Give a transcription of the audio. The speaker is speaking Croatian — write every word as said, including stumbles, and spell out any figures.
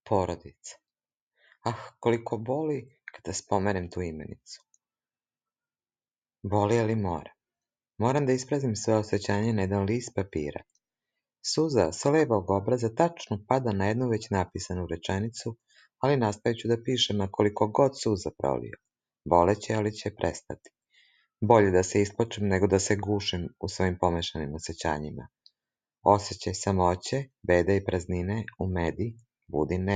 Porodica. Ah, koliko boli kada spomenem tu imenicu. Boli, ali moram. Moram da isprazim sve osjećanje na jedan list papira. Suza sa levog obraza tačno pada na jednu već napisanu rečenicu, ali nastavit ću da pišem, a koliko god suza prolio. Boleće, ali će prestati. Bolje da se isplačem nego da se gušim u svojim pomešanim osjećanjima. Osjećaj samoće, bede i praznine u medi budi nema.